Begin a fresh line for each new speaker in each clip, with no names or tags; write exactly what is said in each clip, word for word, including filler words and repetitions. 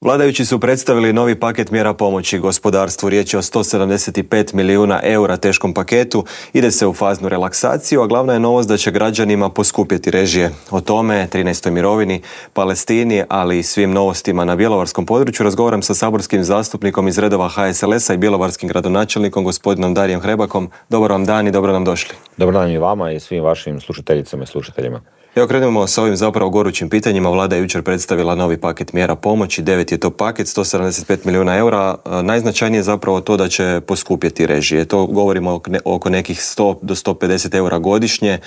Vladajući su predstavili novi paket mjera pomoći gospodarstvu. Riječ je o sto sedamdeset pet milijuna eura teškom paketu. Ide se u faznu relaksaciju, a glavna je novost da će građanima poskupjeti režije. O tome, trinaestoj mirovini, Palestini, ali i svim novostima na bjelovarskom području razgovaram sa saborskim zastupnikom iz redova H S L S-a i bjelovarskim gradonačelnikom gospodinom Darijem Hrebakom. Dobar vam dan i dobro nam došli.
Dobar dan i vama i svim vašim slušateljicama i slušateljima.
Evo krenemo sa ovim zapravo gorućim pitanjima. Vlada je jučer predstavila novi paket mjera pomoći, devet je to paket, sto sedamdeset pet milijuna eura. Najznačajnije je zapravo to da će poskupjeti režije. To govorimo oko nekih sto do sto pedeset eura godišnje.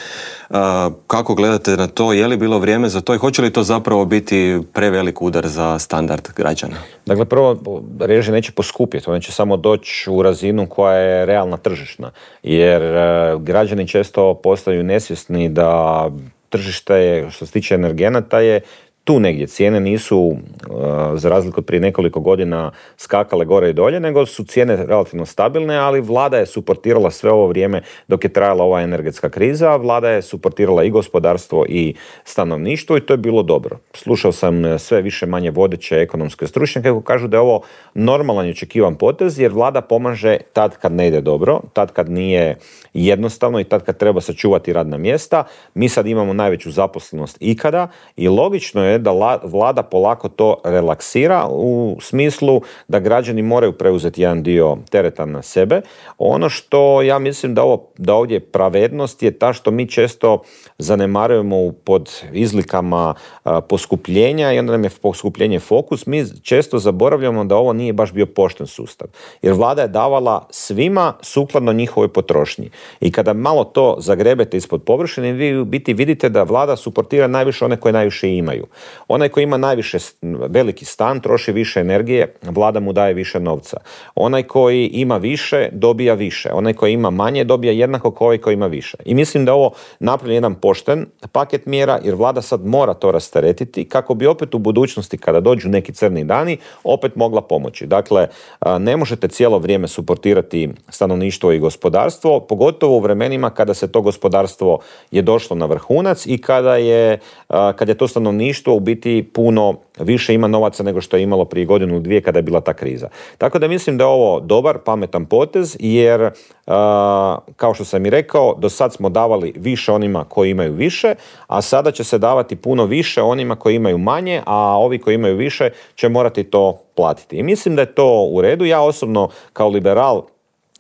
Kako gledate na to? Je li bilo vrijeme za to i hoće li to zapravo biti prevelik udar za standard građana?
Dakle, prvo, režije neće poskupjeti, one će samo doći u razinu koja je realna tržišna. Jer građani često postaju nesvjesni da tržište je, što se tiče energenata, je tu negdje. Cijene nisu, uh, za razliku od prije nekoliko godina, skakale gore i dolje, nego su cijene relativno stabilne, ali vlada je suportirala sve ovo vrijeme dok je trajala ova energetska kriza. Vlada je suportirala i gospodarstvo i stanovništvo i to je bilo dobro. Slušao sam sve više manje vodeće ekonomske stručnjake koji kažu da je ovo normalan i očekivan potez, jer vlada pomaže tad kad ne ide dobro, tad kad nije jednostavno i tad kad treba sačuvati radna mjesta. Mi sad imamo najveću zaposlenost ikada i logično je da vlada polako to relaksira u smislu da građani moraju preuzeti jedan dio tereta na sebe. Ono što ja mislim da, ovo, da ovdje pravednost je ta što mi često zanemarujemo pod izlikama a, poskupljenja i onda nam je poskupljenje fokus. Mi često zaboravljamo da ovo nije baš bio pošten sustav. Jer vlada je davala svima sukladno njihovoj potrošnji. I kada malo to zagrebete ispod površine, vi u biti vidite da vlada suportira najviše one koje najviše imaju. Onaj koji ima najviše veliki stan troši više energije, vlada mu daje više novca. Onaj koji ima više dobija više. Onaj koji ima manje dobija jednako kao ovaj koji ima više. I mislim da ovo napravljen jedan pošten paket mjera, jer vlada sad mora to rasteretiti kako bi opet u budućnosti kada dođu neki crni dani opet mogla pomoći. Dakle, ne možete cijelo vrijeme suportirati stanovništvo i gospodarstvo, pogotovo u vremenima kada se to gospodarstvo je došlo na vrhunac i kada je, kada je to stanovništvo u biti puno više ima novaca nego što je imalo prije godinu ili dvije kada je bila ta kriza. Tako da mislim da je ovo dobar, pametan potez, jer uh, kao što sam i rekao, do sad smo davali više onima koji imaju više, a sada će se davati puno više onima koji imaju manje, a ovi koji imaju više će morati to platiti. I mislim da je to u redu. Ja osobno kao liberal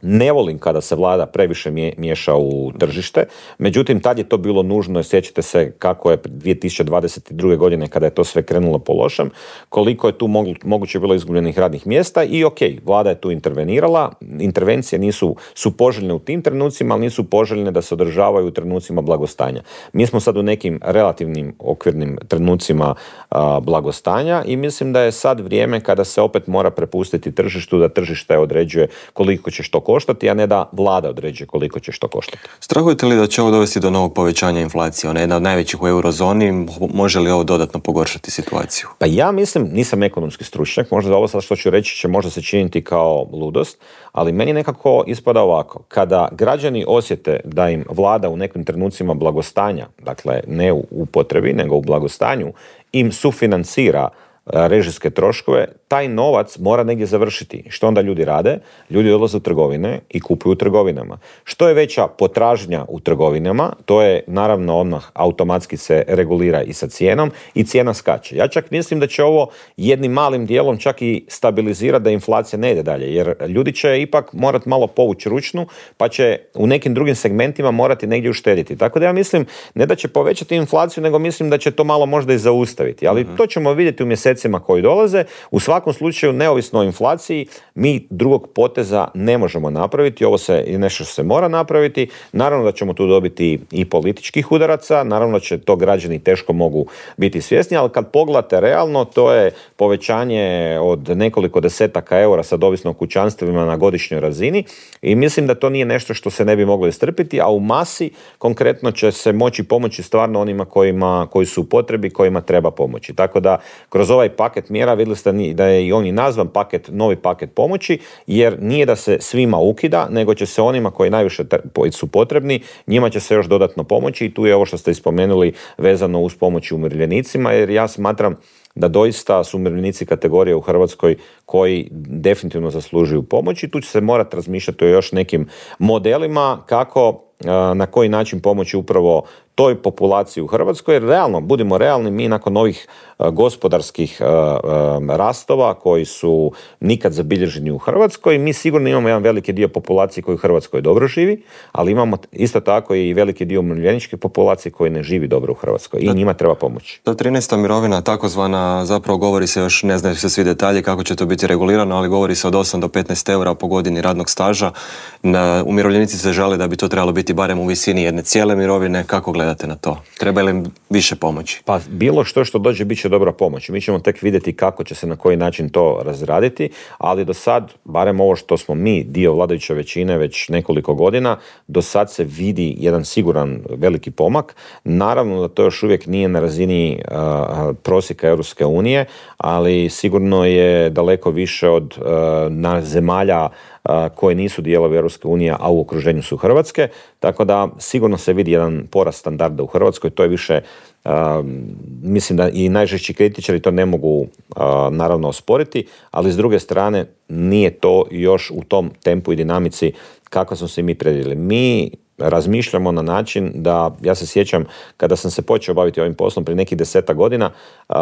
ne volim kada se vlada previše miješa u tržište, međutim tad je to bilo nužno, sjećate se kako je dvije tisuće dvadeset druge godine kada je to sve krenulo po lošem, koliko je tu mogu, moguće bilo izgubljenih radnih mjesta i ok, vlada je tu intervenirala, intervencije nisu, su poželjne u tim trenucima, ali nisu poželjne da se održavaju u trenucima blagostanja. Mi smo sad u nekim relativnim okvirnim trenucima a, blagostanja i mislim da je sad vrijeme kada se opet mora prepustiti tržištu, da tržište određuje koliko će što koštati, a ne da vlada određuje koliko će što koštati.
Strahujete li da će ovo dovesti do novog povećanja inflacije? Ona je jedna od najvećih u eurozoni. Može li ovo dodatno pogoršati situaciju?
Pa ja mislim, nisam ekonomski stručnjak, možda ovo sad što ću reći će možda se činiti kao ludost, ali meni nekako ispada ovako. Kada građani osjete da im vlada u nekim trenucima blagostanja, dakle ne u potrebi, nego u blagostanju, im sufinancira režijske troškove, taj novac mora negdje završiti. Što onda ljudi rade? Ljudi odlaze u trgovine i kupuju u trgovinama. Što je veća potražnja u trgovinama, to je naravno odmah automatski se regulira i sa cijenom i cijena skače. Ja čak mislim da će ovo jednim malim dijelom čak i stabilizirati da inflacija ne ide dalje, jer ljudi će ipak morati malo povući ručnu, pa će u nekim drugim segmentima morati negdje uštediti. Tako da ja mislim ne da će povećati inflaciju, nego mislim da će to malo možda i zaustaviti. Ali mm-hmm. to ćemo vidjeti u mjesecima koji dolaze. U svakom slučaju, neovisno o inflaciji, mi drugog poteza ne možemo napraviti. Ovo se je nešto što se mora napraviti. Naravno da ćemo tu dobiti i političkih udaraca, naravno da će to građani teško mogu biti svjesni, ali kad pogledate realno, to je povećanje od nekoliko desetaka eura sad ovisno o kućanstvima na godišnjoj razini i mislim da to nije nešto što se ne bi moglo istrpiti, a u masi konkretno će se moći pomoći stvarno onima kojima, koji su u potrebi, kojima treba pomoći. Tako da kroz ovaj paket mjera vidjeli ste da je i on i nazvan paket, novi paket pomoći, jer nije da se svima ukida, nego će se onima koji najviše su potrebni, njima će se još dodatno pomoći i tu je ovo što ste ispomenuli vezano uz pomoći umirovljenicima, jer ja smatram da doista su umirovljenici kategorije u Hrvatskoj koji definitivno zaslužuju pomoć i tu će se morati razmišljati o još nekim modelima kako, na koji način pomoći upravo toj populaciji u Hrvatskoj, jer realno, budimo realni, mi nakon ovih gospodarskih rastova koji su nikad zabilježeni u Hrvatskoj, mi sigurno imamo jedan veliki dio populacije koji u Hrvatskoj dobro živi, ali imamo isto tako i veliki dio umirovljeničke populacije koji ne živi dobro u Hrvatskoj i njima treba pomoći.
Ta trinaesta mirovina, takozvana, zapravo govori se još, ne znaju se svi detalji kako će to biti regulirano, ali govori se od osam do petnaest eura po godini radnog staža. Na, umirovljenici se žale da bi to trebalo biti barem u visini jedne cijele mirovine. Kako gledate na to? Treba li im više pomoći?
Pa bilo što što dođe bit će dobra pomoć. Mi ćemo tek vidjeti kako će se na koji način to razraditi, ali do sad, barem ovo što smo mi, dio vladajuće većine već nekoliko godina, do sad se vidi jedan siguran veliki pomak. Naravno da to još uvijek nije na razini uh, prosjeka Europske unije, ali sigurno je daleko više od uh, na zemalja koje nisu dijelovi Europske unije, a u okruženju su Hrvatske, tako da sigurno se vidi jedan porast standarda u Hrvatskoj, to je više, uh, mislim da i najžešći kritičari to ne mogu uh, naravno osporiti, ali s druge strane nije to još u tom tempu i dinamici kako smo se mi predvidjeli. Mi razmišljamo na način da, ja se sjećam kada sam se počeo baviti ovim poslom prije nekih desetak godina, uh,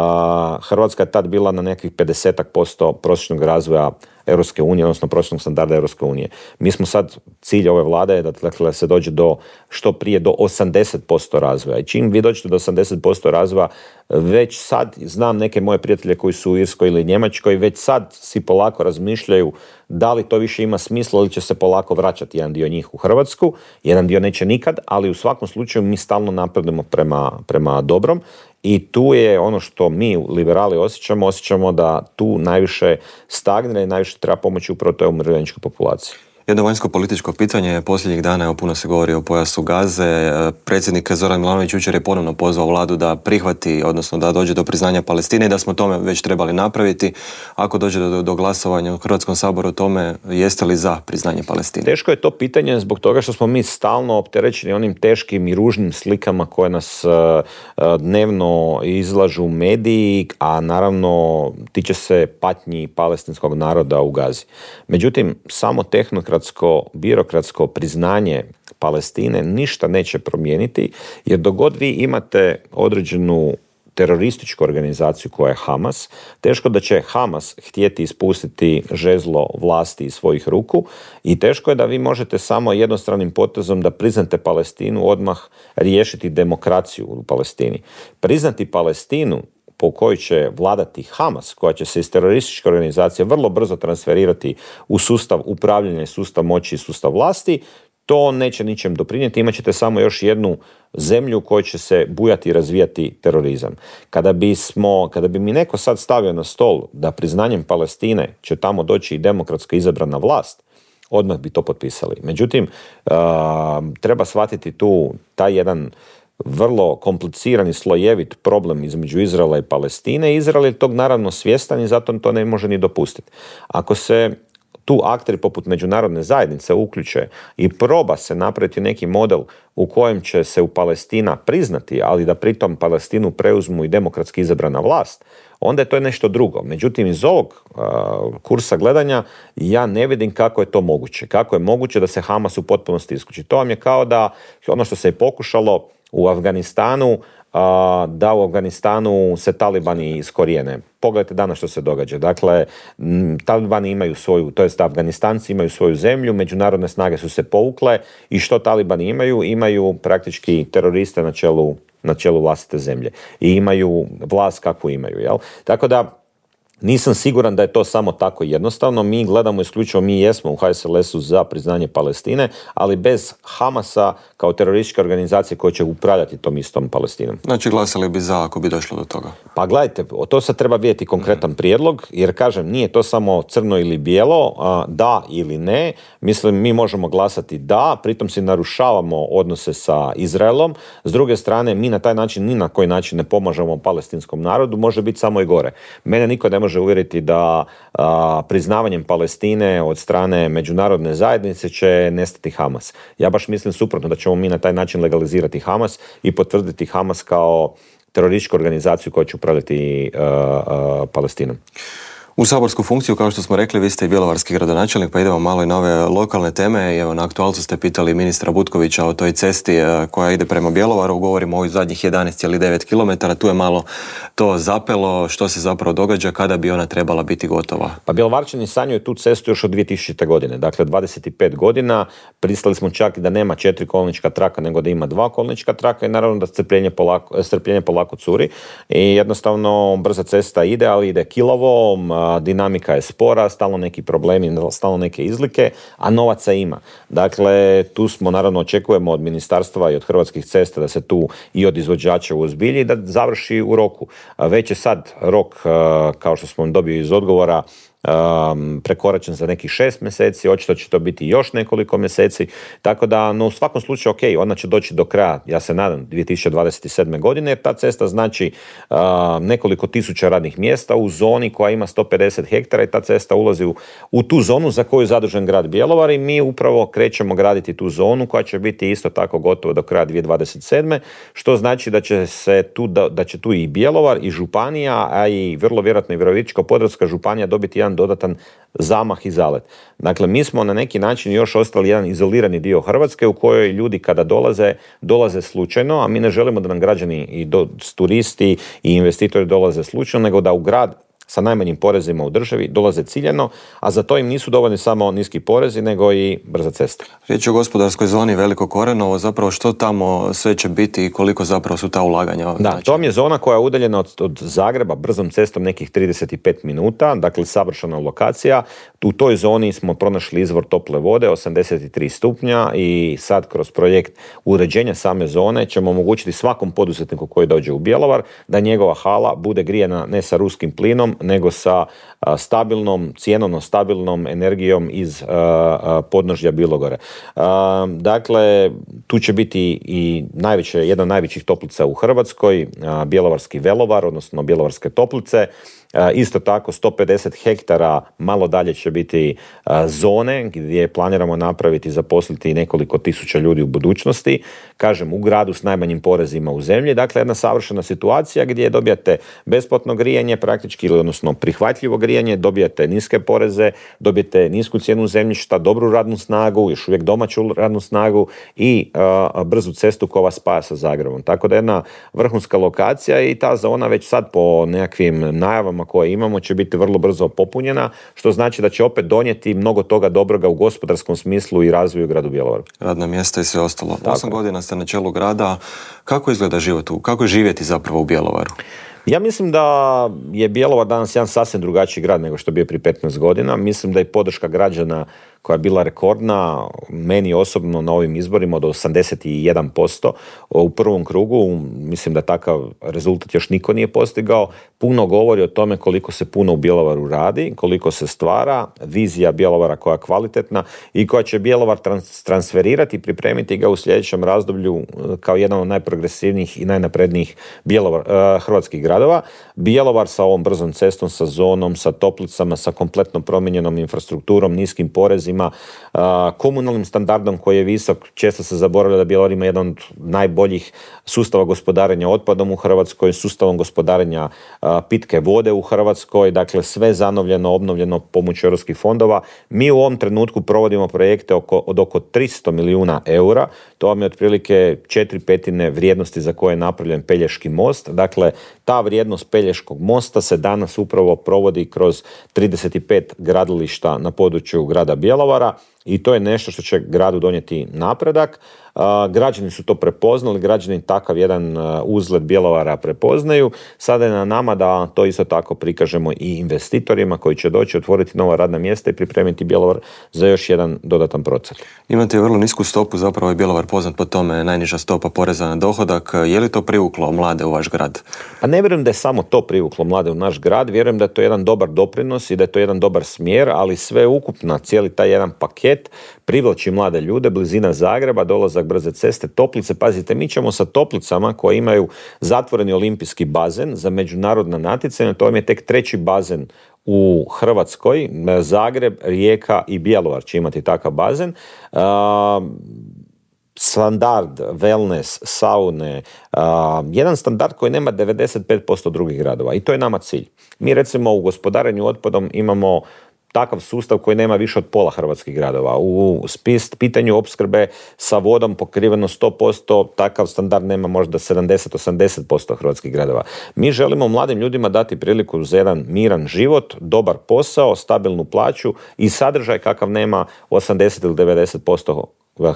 Hrvatska je tad bila na nekih pedeset posto prosječnog razvoja Europske unije, odnosno prosječnog standarda Europske unije. Mi smo sad, cilj ove vlade je da dakle, se dođe do što prije do osamdeset posto razvoja. I čim vi dođete do osamdeset posto razvoja, već sad znam neke moje prijatelje koji su u Irskoj ili Njemačkoj, već sad si polako razmišljaju da li to više ima smisla ili će se polako vraćati jedan dio njih u Hrvatsku, jedan dio neće nikad, ali u svakom slučaju mi stalno napredujemo prema, prema dobrom. I tu je ono što mi liberali osjećamo, osjećamo da tu najviše stagnira i najviše treba pomoći upravo toj umirovljeničkoj populaciji.
Jedno vanjsko političko pitanje, posljednjih dana, evo, puno se govori o pojasu Gaze. Predsjednik Zoran Milanović jučer je ponovno pozvao vladu da prihvati, odnosno da dođe do priznanja Palestine i da smo tome već trebali napraviti. Ako dođe do, do glasovanja u Hrvatskom saboru o tome, jeste li za priznanje Palestine?
Teško je to pitanje zbog toga što smo mi stalno opterećeni onim teškim i ružnim slikama koje nas uh, dnevno izlažu mediji, a naravno tiče se patnji palestinskog naroda u Gazi. Međutim, samo tehnokrat birokratsko priznanje Palestine ništa neće promijeniti, jer dok god vi imate određenu terorističku organizaciju koja je Hamas, teško da će Hamas htjeti ispustiti žezlo vlasti iz svojih ruku i teško je da vi možete samo jednostranim potezom da priznate Palestinu odmah riješiti demokraciju u Palestini. Priznati Palestinu po kojoj će vladati Hamas, koja će se iz terorističke organizacije vrlo brzo transferirati u sustav upravljanja, sustav moći i sustav vlasti, to neće ničem doprinijeti. Imaćete samo još jednu zemlju u kojoj će se bujati i razvijati terorizam. Kada bismo, kada bi mi neko sad stavio na stol da priznanjem Palestine će tamo doći i demokratski izabrana vlast, odmah bi to potpisali. Međutim, uh, treba shvatiti tu taj jedan vrlo kompliciran i slojevit problem između Izraela i Palestine. Izrael je tog naravno svjestan i zato to ne može ni dopustiti. Ako se tu akteri poput međunarodne zajednice uključe i proba se napraviti neki model u kojem će se u Palestina priznati, ali da pritom Palestinu preuzmu i demokratski izabrana vlast, onda je to nešto drugo. Međutim, iz ovog uh, kursa gledanja ja ne vidim kako je to moguće. Kako je moguće da se Hamas u potpunosti isključi. To vam je kao da ono što se je pokušalo u Afganistanu, da u Afganistanu se talibani iskorijene. Pogledajte danas što se događa. Dakle, talibani imaju svoju, to jest Afganistanci imaju svoju zemlju, međunarodne snage su se povukle i što talibani imaju? Imaju praktički teroriste na čelu, na čelu vlastite zemlje. I imaju vlast kakvu imaju. Jel? Tako da nisam siguran da je to samo tako jednostavno. Mi gledamo isključivo, mi jesmo u H S L S-u za priznanje Palestine, ali bez Hamasa kao terorističke organizacije koja će upravljati tom istom Palestinom.
Znači glasali bi za ako bi došlo do toga?
Pa gledajte, to sad treba vidjeti konkretan prijedlog, jer kažem, nije to samo crno ili bijelo, da ili ne. Mislim, mi možemo glasati da, pritom si narušavamo odnose sa Izraelom. S druge strane, mi na taj način ni na koji način ne pomažemo palestinskom narodu, može biti samo i gore. Mene niko ne može uvjeriti da a, priznavanjem Palestine od strane međunarodne zajednice će nestati Hamas. Ja baš mislim suprotno, da ćemo mi na taj način legalizirati Hamas i potvrditi Hamas kao terorističku organizaciju koja će upravljati uh, uh, Palestinom.
U saborsku funkciju, kao što smo rekli, vi ste i bjelovarski gradonačelnik, pa idemo malo i na ove lokalne teme. Evo, na aktualcu ste pitali ministra Butkovića o toj cesti koja ide prema Bjelovaru. Govorimo o ovih zadnjih jedanaest zarez devet kilometara. Tu je malo to zapelo. Što se zapravo događa, kada bi ona trebala biti gotova?
Pa Bjelovarčani sanjaju tu cestu još od dvije tisućite. godine. Dakle, dvadeset pet godina. Pristali smo čak da nema četiri kolnička traka, nego da ima dva kolnička traka i naravno da strpljenje polako, strpljenje polako curi. I jednostavno brza cesta ide, ali ide kilavo, dinamika je spora, stalno neki problemi, stalno neke izlike, a novaca ima. Dakle, tu smo naravno očekujemo od ministarstva i od Hrvatskih cesta da se tu i od izvođača uozbilji i da završi u roku. Već je sad rok, kao što smo dobili iz odgovora, Um, prekoračen za nekih šest mjeseci, očito će to biti još nekoliko mjeseci, tako da no, u svakom slučaju ok, ona će doći do kraja, ja se nadam, dvije tisuće dvadeset sedme. godine, jer ta cesta znači uh, nekoliko tisuća radnih mjesta u zoni koja ima sto pedeset hektara i ta cesta ulazi u, u tu zonu za koju je zadužen grad Bjelovar i mi upravo krećemo graditi tu zonu koja će biti isto tako gotova do kraja dvije tisuće dvadeset sedme. Što znači da će se tu, da, da će tu i Bjelovar i županija, a i vrlo vjerojatno i Virovitičko-podravska županija dobiti jedan dodatan zamah i zalet. Dakle, mi smo na neki način još ostali jedan izolirani dio Hrvatske u kojoj ljudi kada dolaze, dolaze slučajno, a mi ne želimo da nam građani i do, turisti i investitori dolaze slučajno, nego da u grad sa najmanjim porezima u državi dolaze ciljano, a za to im nisu dovoljni samo niski porezi, nego i brza cesta.
Riječ je o gospodarskoj zoni Veliko Korenovo, zapravo što tamo sve će biti i koliko zapravo su ta ulaganja?
Da,
znači?
To je zona koja je udaljena od, od Zagreba brzom cestom nekih trideset pet minuta, dakle savršena lokacija. U toj zoni smo pronašli izvor tople vode, osamdeset tri stupnja i sad kroz projekt uređenja same zone ćemo omogućiti svakom poduzetniku koji dođe u Bjelovar da njegova hala bude grijana ne sa ruskim plinom, nego sa a, stabilnom, cijenovno stabilnom energijom iz a, a, podnožja Bilogore. A, dakle, tu će biti i najveće, jedna od najvećih toplica u Hrvatskoj, a, Bjelovarski Velovar, odnosno Bjelovarske toplice. Uh, isto tako sto pedeset hektara malo dalje će biti uh, zone gdje planiramo napraviti i zaposliti nekoliko tisuća ljudi u budućnosti, kažem u gradu s najmanjim porezima u zemlji, dakle jedna savršena situacija gdje dobijate besplatno grijanje praktički, ili odnosno prihvatljivo grijanje, dobijate niske poreze, dobijete nisku cijenu zemljišta, dobru radnu snagu, još uvijek domaću radnu snagu i uh, brzu cestu koja vas spaja sa Zagrebom. Tako da jedna vrhunska lokacija i ta zona već sad po nekakvim najavama koje imamo će biti vrlo brzo popunjena, što znači da će opet donijeti mnogo toga dobroga u gospodarskom smislu i razvoju gradu Bjelovaru.
Radna mjesta i sve ostalo. Osam godina ste na čelu grada. Kako izgleda život u, kako živjeti zapravo u Bjelovaru?
Ja mislim da je Bjelovar danas jedan sasvim drugačiji grad nego što je bio prije petnaest godina. Mislim da je podrška građana koja je bila rekordna, meni osobno na ovim izborima od osamdeset jedan posto u prvom krugu, mislim da takav rezultat još niko nije postigao, puno govori o tome koliko se puno u Bjelovaru radi, koliko se stvara, vizija Bjelovara koja je kvalitetna i koja će Bjelovar trans- transferirati i pripremiti ga u sljedećem razdoblju kao jedan od najprogresivnijih i najnaprednijih Bjelovar, uh, hrvatskih gradova. Bjelovar sa ovom brzom cestom, sa zonom, sa toplicama, sa kompletno promijenjenom infrastrukturom, niskim porezima, komunalnim standardom koji je visok. Često se zaboravlja da Bjelovar ima jedan od najboljih sustava gospodarenja otpadom u Hrvatskoj, sustavom gospodarenja pitke vode u Hrvatskoj, dakle sve zanovljeno, obnovljeno pomoću europskih fondova. Mi u ovom trenutku provodimo projekte oko, od oko tristo milijuna eura, to vam je otprilike četiri petine vrijednosti za koje je napravljen Pelješki most. Dakle, ta vrijednost Pelješkog mosta se danas upravo provodi kroz trideset pet gradilišta na području grada Bjelovara i to je nešto što će gradu donijeti napredak. Uh, građani su to prepoznali, građani takav jedan uh, uzlet Bjelovara prepoznaju. Sada je na nama da to isto tako prikažemo i investitorima koji će doći otvoriti nova radna mjesta i pripremiti Bjelovar za još jedan dodatan procent.
Imate vrlo nisku stopu, zapravo je Bjelovar poznat po tome, najniža stopa poreza na dohodak. Je li to privuklo mlade u vaš grad?
A ne vjerujem da je samo to privuklo mlade u naš grad, vjerujem da je to jedan dobar doprinos i da je to jedan dobar smjer, ali sve ukupno, cijeli taj jedan paket privlači mlade ljude, blizina Zagreba, dolazak brze ceste, toplice. Pazite, mi ćemo sa toplicama koje imaju zatvoreni olimpijski bazen za međunarodna natjecanja, to vam je tek treći bazen u Hrvatskoj, Zagreb, Rijeka i Bjelovar će imati takav bazen. standard, wellness, saune, uh, jedan standard koji nema devedeset pet posto drugih gradova i to je nama cilj. Mi recimo u gospodarenju otpadom imamo takav sustav koji nema više od pola hrvatskih gradova. U spis, pitanju opskrbe sa vodom pokriveno sto posto, takav standard nema možda sedamdeset do osamdeset posto hrvatskih gradova. Mi želimo mladim ljudima dati priliku za jedan miran život, dobar posao, stabilnu plaću i sadržaj kakav nema osamdeset ili devedeset posto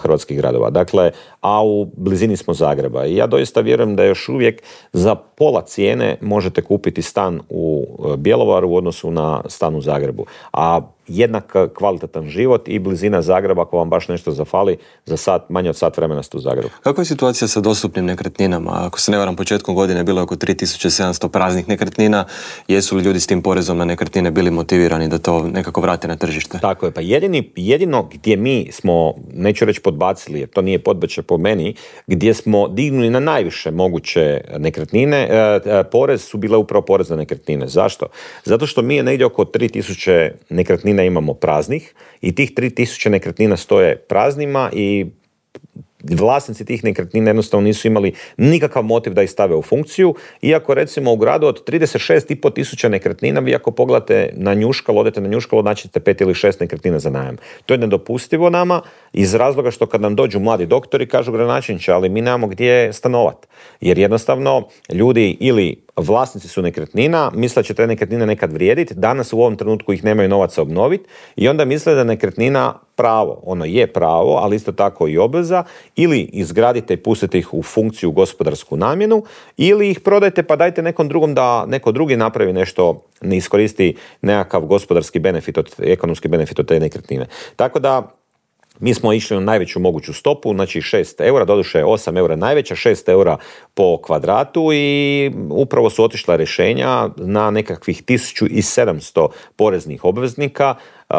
hrvatskih gradova. Dakle, a u blizini smo Zagreba. I ja doista vjerujem da još uvijek za pola cijene možete kupiti stan u Bjelovaru u odnosu na stan u Zagrebu. A jednak kvalitetan život i blizina Zagreba, ako vam baš nešto zafali, za sat, manje od sat vremena ste u Zagrebu.
Kakva je situacija sa dostupnim nekretninama? Ako se ne varam, početkom godine bilo je oko tri tisuće sedamsto praznih nekretnina. Jesu li ljudi s tim porezom na nekretnine bili motivirani da to nekako vrate na tržište?
Tako je, pa jedini, jedino gdje mi smo, neću reći podbacili, jer to nije podbačaj po meni, gdje smo dignuli na najviše moguće nekretnine, e, e, porez su bile upravo porez na nekretnine. Zašto? Zato što mi je negdje oko tri tisuće nekretnina imamo praznih i tih tri tisuće nekretnina stoje praznima i vlasnici tih nekretnina jednostavno nisu imali nikakav motiv da ih stave u funkciju, iako recimo u gradu od trideset šest i pol tisuća nekretnina, vi ako pogledate na Njuškalo, odete na Njuškalo, naćete pet ili šest nekretnina za najam. To je nedopustivo nama iz razloga što kad nam dođu mladi doktori kažu gradonačelniče, ali mi nemamo gdje stanovat. Jer jednostavno ljudi ili vlasnici su nekretnina, misle da će te nekretnine nekad vrijediti, danas u ovom trenutku ih nemaju novaca obnoviti i onda misle da je nekretnina pravo. Ono je pravo, ali isto tako i obveza, ili izgradite i pustite ih u funkciju, gospodarsku namjenu, ili ih prodajte pa dajte nekom drugom da neko drugi napravi nešto, ne iskoristi nekakav gospodarski benefit, od, ekonomski benefit od te nekretnine. Tako da mi smo išli na najveću moguću stopu, znači šest eura, doduše osam eura najveća, šest eura po kvadratu i upravo su otišla rješenja na nekakvih tisuću sedamsto poreznih obveznika. Uh,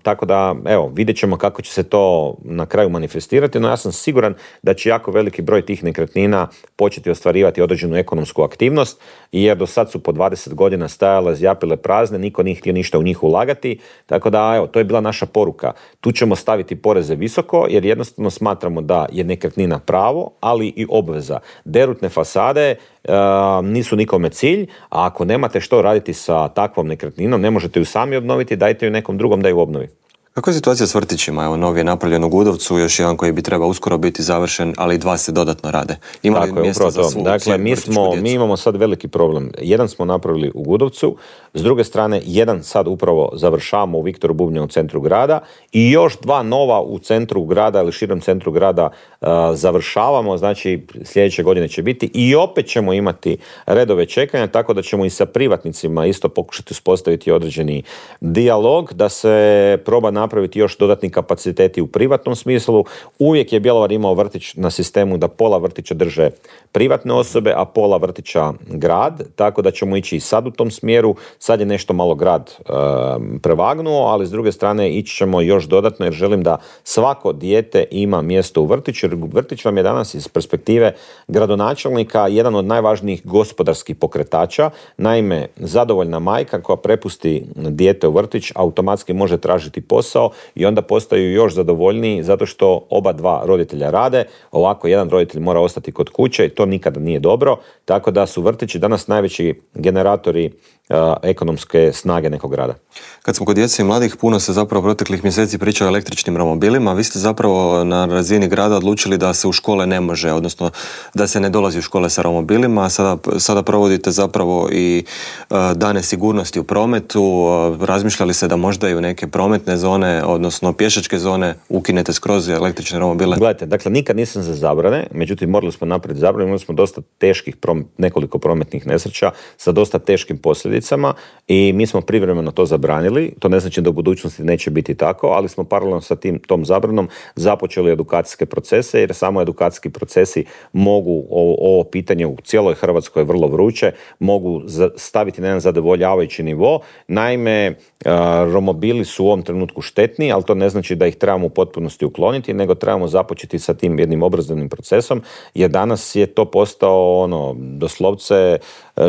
tako da, evo, vidjet ćemo kako će se to na kraju manifestirati, no ja sam siguran da će jako veliki broj tih nekretnina početi ostvarivati određenu ekonomsku aktivnost, jer do sad su po dvadeset godina stajale, zjapile prazne, niko nije htio ništa u njih ulagati, tako da, evo, to je bila naša poruka. Tu ćemo staviti poreze visoko, jer jednostavno smatramo da je nekretnina pravo, ali i obveza. Derutne fasade Uh, nisu nikome cilj, a ako nemate što raditi sa takvom nekretninom, ne možete ju sami obnoviti, dajte ju nekom drugom da ju obnovi.
Kako je situacija s vrtićima? Evo, novi je napravljen u Gudovcu, još jedan koji bi trebao uskoro biti završen, ali dva se dodatno rade. Ima li mjesta za svu
Dakle, mi, smo, mi imamo sad veliki problem. Jedan smo napravili u Gudovcu, s druge strane, jedan sad upravo završavamo u Viktoru Bubnja u centru grada i još dva nova u centru grada ili širom centru grada uh, završavamo, znači sljedeće godine će biti i opet ćemo imati redove čekanja, tako da ćemo i sa privatnicima isto pokušati uspostaviti određeni dijalog, da se proba napraviti još dodatni kapaciteti u privatnom smislu. Uvijek je Bjelovar imao vrtić na sistemu da pola vrtića drže privatne osobe, a pola vrtića grad, tako da ćemo ići i sad u tom smjeru. Sad je nešto malo grad e, prevagnuo, ali s druge strane ići ćemo još dodatno jer želim da svako dijete ima mjesto u vrtiću, jer vrtić vam je danas iz perspektive gradonačelnika jedan od najvažnijih gospodarskih pokretača. Naime, zadovoljna majka koja prepusti dijete u vrtić automatski može tražiti posao i onda postaju još zadovoljniji zato što oba dva roditelja rade. Ovako jedan roditelj mora ostati kod kuće i to nikada nije dobro, tako da su vrtići danas najveći generatori uh, ekonomske snage nekog grada.
Kad smo kod djece i mladih, puno se zapravo proteklih mjeseci priča o električnim romobilima. Vi ste zapravo na razini grada odlučili da se u škole ne može, odnosno da se ne dolazi u škole sa romobilima. Sada, sada provodite zapravo i uh, dane sigurnosti u prometu. Uh, razmišljali se da možda i u neke prometne zone, odnosno pješačke zone, ukinete skroz električne romobile?
Gledajte, dakle, nikad nisam za zabrane, međutim morali smo napraviti zabrane, imali smo dosta teških, prom- nekoliko prometnih nesreća sa dosta teškim posljedicama i mi smo privremeno to zabranili. To ne znači da u budućnosti neće biti tako, ali smo paralelno sa tim, tom zabranom započeli edukacijske procese, jer samo edukacijski procesi mogu ovo, ovo pitanje u cijeloj Hrvatskoj vrlo vruće, mogu staviti na jedan zadovoljavajući nivo. Naime, romobili su u ovom trenutku štetni, ali to ne znači da ih trebamo u potpunosti ukloniti, nego trebamo započeti sa tim jednim obrazovnim procesom, jer danas je to postao ono, doslovce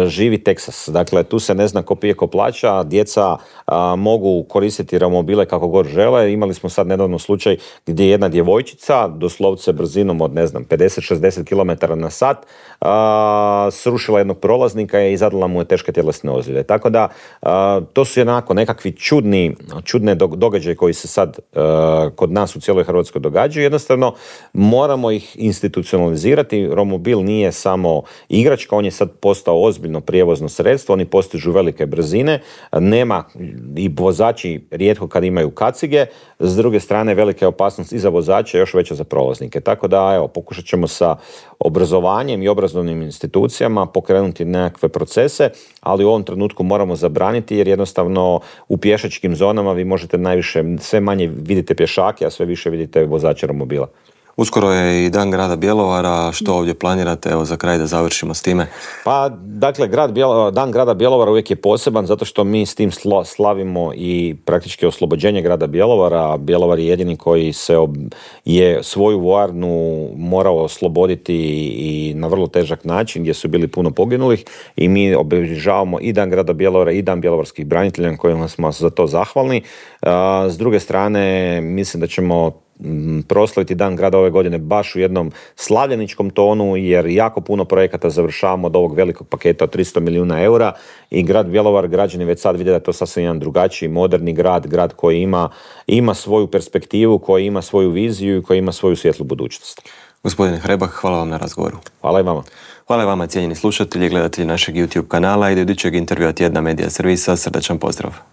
živi Teksas. Dakle, tu se ne zna ko pije ko plaća, djeca a, mogu koristiti romobile kako god žele. Imali smo sad nedavno slučaj gdje jedna djevojčica, doslovce brzinom od ne znam pedeset do šezdeset kilometara na sat, a, srušila jednog prolaznika i zadala mu je teške tjelesne ozljede. Tako da, a, to su jednako nekakvi čudni, čudne događaje koji se sad a, kod nas u cijeloj Hrvatskoj događaju. Jednostavno, moramo ih institucionalizirati. Romobil nije samo igračka, on je sad postao ozbiljno prijevozno sredstvo, oni postižu velike brzine, nema i vozači rijetko kad imaju kacige, s druge strane velika je opasnost i za vozače, još veća za prolaznike. Tako da, evo, pokušat ćemo sa obrazovanjem i obrazovnim institucijama pokrenuti nekakve procese, ali u ovom trenutku moramo zabraniti jer jednostavno u pješačkim zonama vi možete najviše, sve manje vidite pješake, a sve više vidite vozače romobila.
Uskoro je i Dan grada Bjelovara, što ovdje planirate, evo za kraj da završimo s time?
Pa, dakle, grad Bjelo, Dan grada Bjelovara uvijek je poseban zato što mi s tim slo, slavimo i praktički oslobođenje grada Bjelovara. Bjelovar je jedini koji se ob, je svoju vojarnu morao osloboditi i na vrlo težak način gdje su bili puno poginulih i mi obilježavamo i Dan grada Bjelovara i Dan bjelovarskih branitelja kojima smo za to zahvalni. A, s druge strane, mislim da ćemo proslaviti Dan grada ove godine baš u jednom slavljeničkom tonu jer jako puno projekata završavamo od ovog velikog paketa od tristo milijuna eura i grad Bjelovar, građani već sad vide da je to sasvim jedan drugačiji, moderni grad, grad koji ima, ima svoju perspektivu, koji ima svoju viziju i koji ima svoju svjetlu budućnost.
Gospodine Hrebak, hvala vam na razgovoru.
Hvala i vama.
Hvala i vama, cijenjeni slušatelji i gledatelji našeg YouTube kanala i do idućeg intervjua Tjedna Medija Servisa. Srdačan pozdrav.